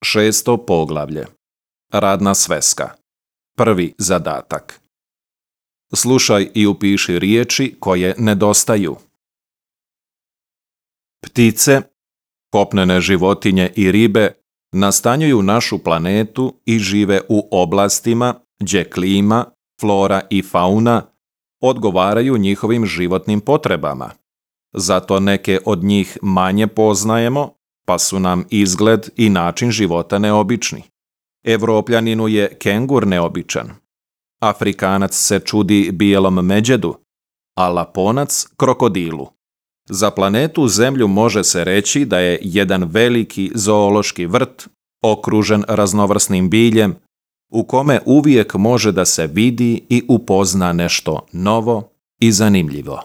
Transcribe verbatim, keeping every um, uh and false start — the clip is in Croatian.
Šesto poglavlje. Radna sveska. Prvi zadatak. Slušaj i upiši riječi koje nedostaju. Ptice, kopnene životinje i ribe nastanjuju našu planetu i žive u oblastima gdje klima, flora i fauna odgovaraju njihovim životnim potrebama. Zato neke od njih manje poznajemo, pa su nam izgled i način života neobični. Evropljaninu je kengur neobičan. Afrikanac se čudi bijelom međedu, a Laponac krokodilu. Za planetu Zemlju može se reći da je jedan veliki zoološki vrt okružen raznovrsnim biljem u kome uvijek može da se vidi i upozna nešto novo i zanimljivo.